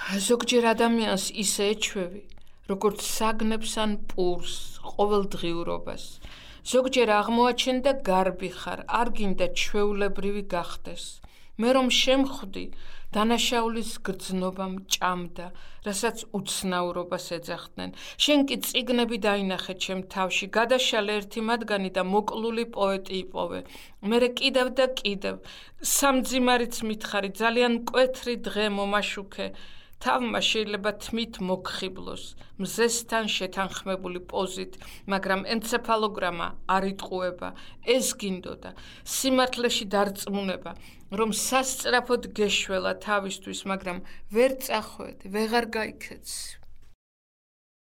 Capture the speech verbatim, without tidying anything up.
ზოგჯერ ადამიანს ისე ეჩვევი, როგორც საგნებს ან პურს, ყოველდღიურობას. ზოგჯერ აღმოაჩენდა გარბი ხარ, არ გინდა ჩვეულებრივი გახდეს. მე რომ შემხვდი, დანაშაულის გრძნობა მჭამდა, რასაც უცნაურობას ეძახდნენ. შენ კი წიგნები დაინახე ჩემ თავში, გადაშალე ერთი მათგანი და მოკლული პოეტი იპოვე. მერე კიდევ და კიდევ, სამძიმარიც მითხარი, ძალიან მკვეთრი დღე მომაშუქე. თავმა შეიძლება თმით მოგხიბლოს, მზესთან შეთანხმებული პოზით, მაგრამ ენცეფალოგრამა არ იტყუება, ეს გინდოდა, სიმართლეში დარწმუნება, რომ სასწრაფოდ გეშველა თავისთვის, მაგრამ ვერ წახვედი, ვეღარ გაიქეცი.